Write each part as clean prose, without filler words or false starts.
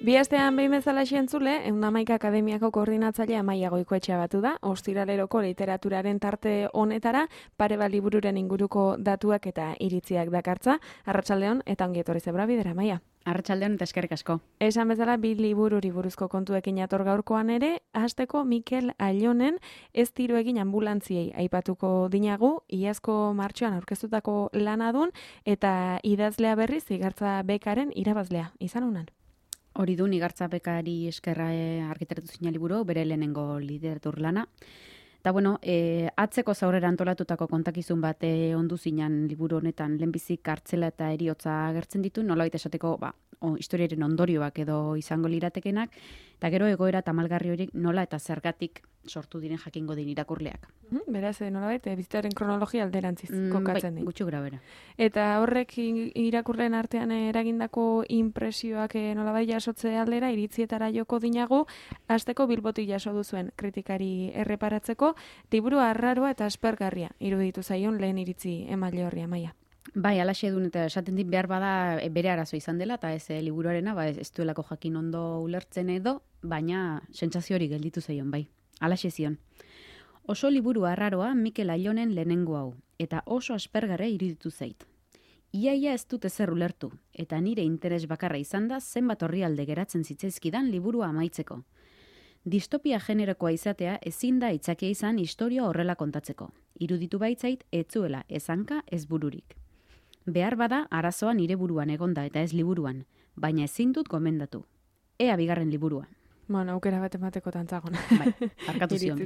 Bi astean behin bezala entzule, 111 Akademiako koordinatzailea Amaia Goikoetxea batu da, ostiraleroko literaturaren tarte honetara, pare bat libururen inguruko datuak eta iritziak dakartza. Arratsaldeon eta ongi etorri zebra bidera, Amaia. Arratsaldeon eta eskerrik asko. Esan bezala, bi libururi buruzko kontuekin ator gaurkoan ere, hasteko Mikel Aionen ez tiro egin ambulantziei aipatuko dinagu, iazko martxoan aurkeztutako lanadun eta idazlea berriz Igartza Bekaren irabazlea izan unan. Hori du Igartza Bekari eskerra argitaratu zina liburu, bere lehenengo literatur lana. Eta bueno, atzeko zaurera antolatutako kontakizun bat ondu zinan liburu honetan lehenbizik kartzela eta heriotza agertzen ditu, nolabait esateko historiaren ondorioak edo izango liratekenak, eta gero egoera tamalgarri horiek nola eta zergatik sortu diren jakingo din irakurleak. Beraz, nolabait, bizitaren kronologia alderantziz kokatzen bai, gutxi grabera. Eta horrek irakurleen artean eragindako impresioak nolabait jasotze aldera, iritzietara joko dinagu, hasteko Bilbotik jaso duzuen kritikari erreparatzeko, liburu arraroa eta aspergarria iruditu zaion lehen iritzi emaile horri, Amaia. Bai, alaxe duen eta esaten dit behar bada bere arazo izan dela, eta ez liburuarena, ez duelako jakin ondo ulertzen edo, baina sentsazio hori gelditu zaion, bai. Alaxe zion. Oso liburu arraroa Mikel Aionen lehenengo hau, eta oso aspergarria iruditu zait. Iaia ez dut ezer ulertu, eta nire interes bakarra izan da zenbat orrialde geratzen zitzaizkidan liburua amaitzeko. Distopia generokoa izatea ezin da itzakia izan historia horrela kontatzeko. Iruditu baitzait etzuela ez hanka ez bururik. Behar bada arazoa nire buruan egonda eta ez liburuan, baina ezin dut gomendatu. Ea bigarren liburua. Bueno, aukera bat emateko tantzagon. Bai, arkatu zion.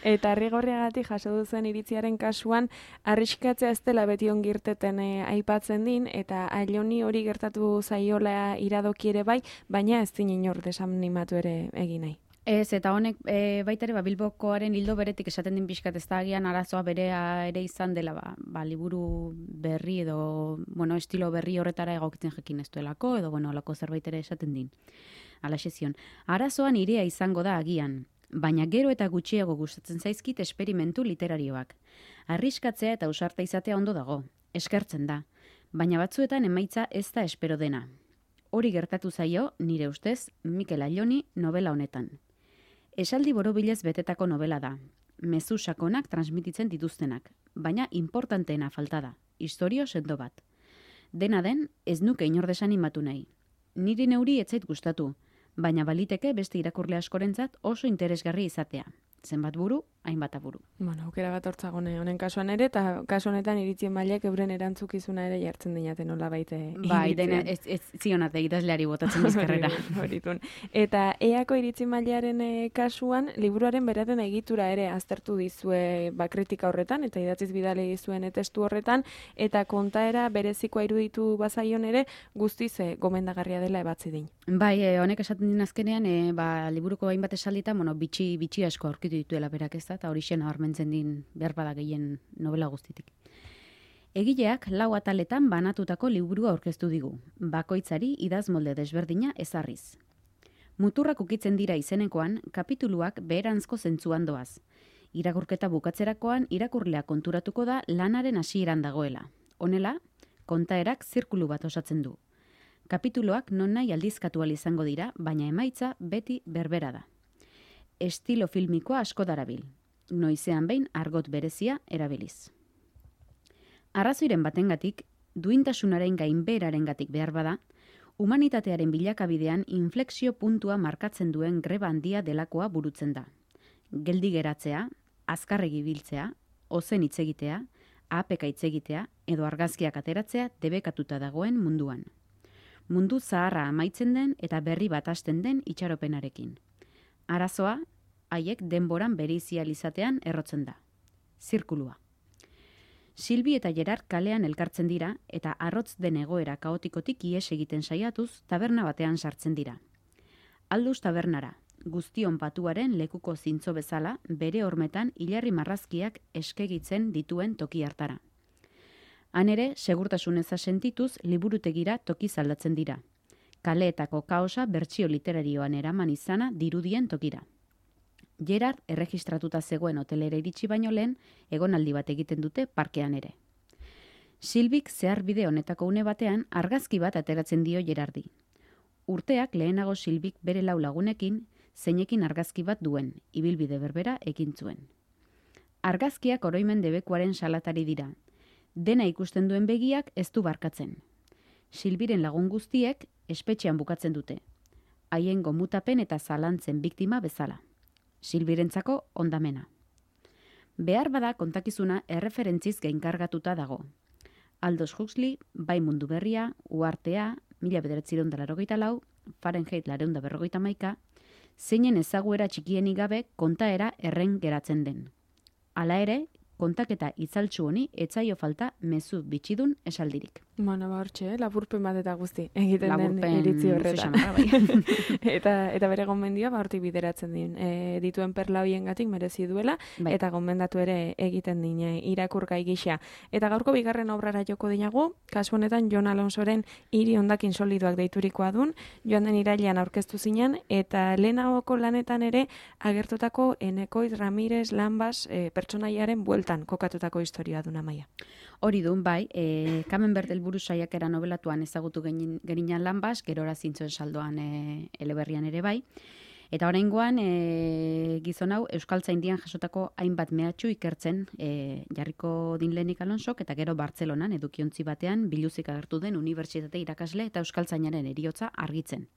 Eta Arrigorriagatik jaso duzen iritziaren kasuan, arriskatzea ez dela beti ongirteten aipatzen din, eta Aioni hori gertatu zaiola iradoki ere bai, baina ez din inor desanimatu ere egin nahi. Ez, eta honek baita ere Bilbokoaren hildo beretik esaten din pixkat, ez da agian arazoa berea ere izan dela, liburu berri edo, estilo berri horretara egokitzen jakin ez duelako, edo, alako zerbait ere esaten din. Alaxe zion, arazoa nirea izango da agian, baina gero eta gutxiago gustatzen zaizkit esperimentu literarioak. Arriskatzea eta ausarta izatea ondo dago, eskertzen da, baina batzuetan emaitza ez da espero dena. Hori gertatu zaio, nire ustez, Mikel Aioni novela honetan. Esaldi borobilez betetako novela da, mezu sakonak transmititzen dituztenak, baina importanteena falta da, historio sendo bat. Dena den, ez nuke inor desanimatu nahi. Niri neuri ez zait gustatu, baina baliteke beste irakurle askorentzat oso interesgarri izatea. Zenbat buru, hainbat aburu. Aukera bat hortzagone honen kasuan ere, eta kasu honetan iritzien mailek euren erantzukizuna ere jartzen dinaten nola baite. Bai, dena ez zionat idazleari botatzen bizkarrera. Eta eako iritzien mailaren kasuan, liburuaren beraten egitura ere aztertu dizue kritika horretan, eta idatziz bidale dizuen testu horretan, eta kontaera berezikoa iruditu bazaion ere, guztiz gomendagarria dela ebatzi din. Bai, honek esaten din azkenean, liburuko hainbat esalditan, bitxi asko aurkitu dituela berak ez da, eta hori xena hormentzen din behar bada gehien novela guztitik. Egileak 4 ataletan banatutako liburua aurkeztu digu, bakoitzari idaz molde desberdina ezarriz. Muturrak ukitzen dira izenekoan, kapituluak beheranzko zentzuan doaz. Irakurketa bukatzerakoan irakurlea konturatuko da lanaren hasieran dagoela. Honela, kontaerak zirkulu bat osatzen du. Kapituluak nonahi aldizkatu ahal izango dira, baina emaitza beti berbera da. Estilo filmikoa asko darabil. Noizean behin argot berezia erabiliz. Arrazoiren batengatik, duintasunaren gainbeherarengatik behar bada, humanitatearen bilakabidean inflexio puntua markatzen duen greba handia delakoa burutzen da. Geldi geratzea, azkarregi biltzea, ozen hitz egitea, ahapeka hitz egitea edo argazkiak ateratzea debekatuta dagoen munduan. Mundu zaharra amaitzen den eta berri bat hasten den itxaropenarekin. Arazoa, haiek denboran bereizial izatean errotzen da. Zirkulua. Silbi eta Gerard kalean elkartzen dira eta arrotz den egoera kaotikotik ihes egiten saiatuz taberna batean sartzen dira. Alduz tabernara, guztion patuaren lekuko zintzo bezala bere hormetan hilarri marrazkiak eskegitzen dituen toki hartara. Han ere, segurtasunez sentituz liburutegira toki zaldatzen dira. Kaleetako kaosa bertsio literarioan eraman izana dirudien tokira. Gerard erregistratuta zegoen hotelera iritsi baino lehen, egonaldi bat egiten dute parkean ere. Silbik zeharbide honetako une batean argazki bat ateratzen dio Gerardi. Urteak lehenago Silbik bere 4 lagunekin zeinekin argazki bat duen, ibilbide berbera ekin zuen. Argazkiak oroimen debekuaren salatari dira. Dena ikusten duen begiak ez du barkatzen. Silbiren lagun guztiek espetxean bukatzen dute. Haien gomutapen eta zalantzen biktima bezala. Silbirentzako ondamena. Behar bada kontakizuna erreferentziz gainkargatuta dago. Aldous Huxley, Bai mundu berria, Uhartea, 1984, Fahrenheit 451, zeinen ezaguera txikienik gabe kontaera erren geratzen den. Hala ere, kontaketa itzaltsu honi etzaio falta mezu bitxidun esaldirik. Bueno, hortxe, lapurpen bat eta guzti egiten Laburpen, den iritzi horretan. bai. eta bere gomendioa hortik bideratzen din. Dituen perla hoiengatik merezi duela, Bai. eta gomendatu ere egiten din irakurgai gisa. Eta gaurko bigarren obrara joko dinagu, kasu honetan Jon Alonsoren Hiri hondakin solidoak deiturikoa dun, joan den irailean aurkeztu zinen, eta lehenagoko lanetan ere agertutako Enekoitz Ramirez Lanbas pertsonaiaren bueltan kokatutako historia duna Amaia. Hori dun, bai, Camembert helburu saiakera nobelatuan ezagutu gerinan Lanbas, gerora zintzoen saldoan eleberrian ere bai. Eta oraingoan gizon hau Euskaltzaindian jasotako hainbat mehatxu ikertzen jarriko din lehenik Alonsok, eta gero Bartzelonan edukiontzi batean biluzik agertu den unibertsitate irakasle eta Euskaltzainaren heriotza argitzen.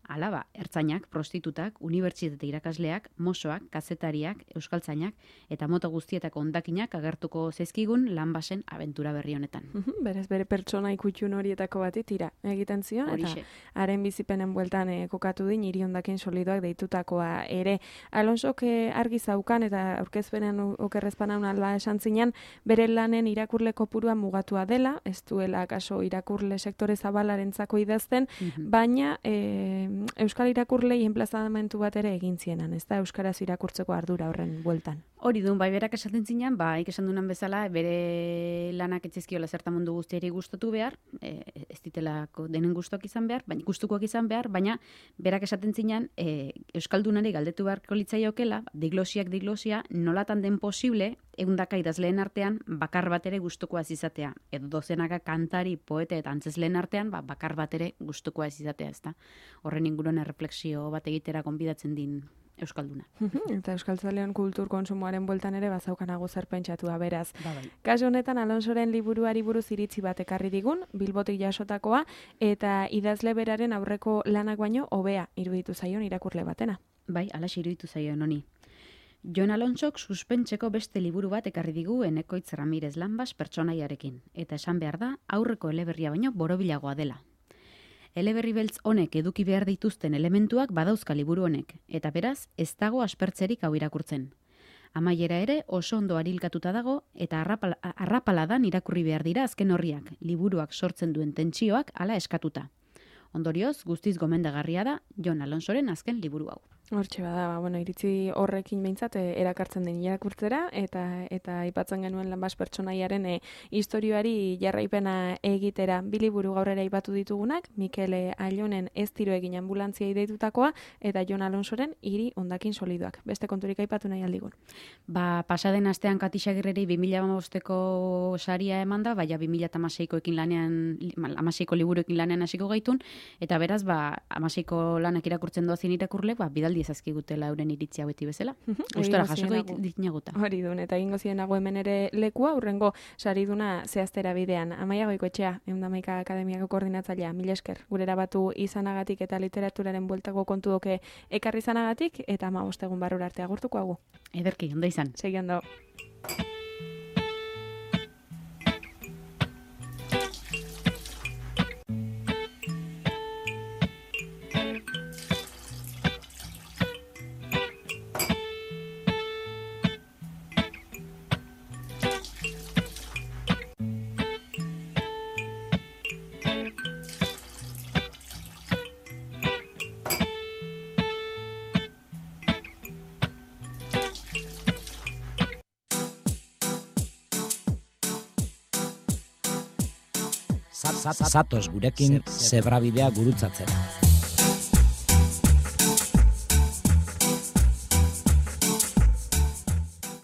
Alaba, ertzainak, prostitutak, unibertsitate irakasleak, mosoak, kazetariak, euskaltzainak eta mota guztietako hondakinak agertuko zaizkigun Lanbasen abentura berri honetan. Berez, bere pertsona ikutxun horietako bati tira egiten zion, eta haren bizipenen bueltan kokatu din Hiri hondakin solidoak deitutakoa ere. Alonsok argi zaukan eta aurkezpenen okerrezpanan alba esan zinen, bere lanen irakurle kopurua mugatua dela, ez duela kaso irakurle sektore zabalarentzako idazten, baina Euskal irakurlei enplazamentu bat ere egin zienan, ez da euskaraz irakurtzeko ardura horren bueltan. Hori dun, bai berak esaten zinean, bai esan dunan bezala, bere lanak etxezkiola zerta mundu guztiari gustatu behar, ez ditelako denen gustukoak izan behar, baina berak esaten zinean, euskaldunari galdetu beharko litzaiokela, diglosia, nolatan den posible, ehundaka idazleen artean, bakar bat ere gustukoa ez izatea. Edo dozenaka kantari, poete eta antzesleen artean, bakar bat ere gustukoa ez izatea, ezta. Horren inguruan erreflexio bat egitera gonbidatzen din euskalduna. Eta euskaltzalean kultur konsumoaren bueltan ere bazaukanago zer pentsatua beraz. Bai. Kasu honetan Alonsoren liburuari buruz iritzi bat ekarri digun, Bilbotik jasotakoa, eta idazle beraren aurreko lanak baino hobea iruditu zaion irakurle batena. Bai, alaxe iruditu zaion honi. Jon Alonsok suspentseko beste liburu bat ekarri digu Enekoitz Ramirez Lanbas pertsonaiarekin, eta esan behar da aurreko eleberria baino borobilagoa dela. Eleberri beltz honek eduki behar dituzten elementuak badauzka liburu honek, eta beraz ez dago aspertzerik hau irakurtzen. Amaiera ere oso ondo arilkatuta dago eta arrapaladan irakurri behar dira azken horriak, liburuak sortzen duen tentsioak hala eskatuta. Ondorioz, guztiz gomendagarria da Jon Alonsoren azken liburu hau. Hortxe bada, iritzi horrekin behintzat erakartzen den irakurtzera eta aipatzen genuen Lanbas pertsonaiaren historioari jarraipena egitera. Bi liburu gaur ere aipatu ditugunak, Mikel Ailonen Ez tiro egin ambulantziai deitutakoa eta Jon Alonsoren Hiri hondakin solidoak. Beste konturik aipatu nahi aldigun. Pasaden astean Kati Xagirreri 2015ko saria eman da, baina 2016ko liburuekin lanean hasiko gaitun, eta beraz 16ko lanak irakurtzen doazien irakurle, bidaldi ezazkigutela euren iritzia beti bezala. Gustora jasoko ditinaguta. Hori dun, eta egingo zienago hemen ere lekua, urrengo sariduna zehaztera bidean. Amaia Goikoetxea, Ehundamaika Akademiako koordinatzailea, mila esker, gurera batu izanagatik eta literaturaren bueltako kontu doke ekarri izanagatik, eta 15 egun barrura arte agurtuko hagu. Ederki, ondo izan. Segi ondo. Zatoz gurekin zebrabidea gurutzatzera.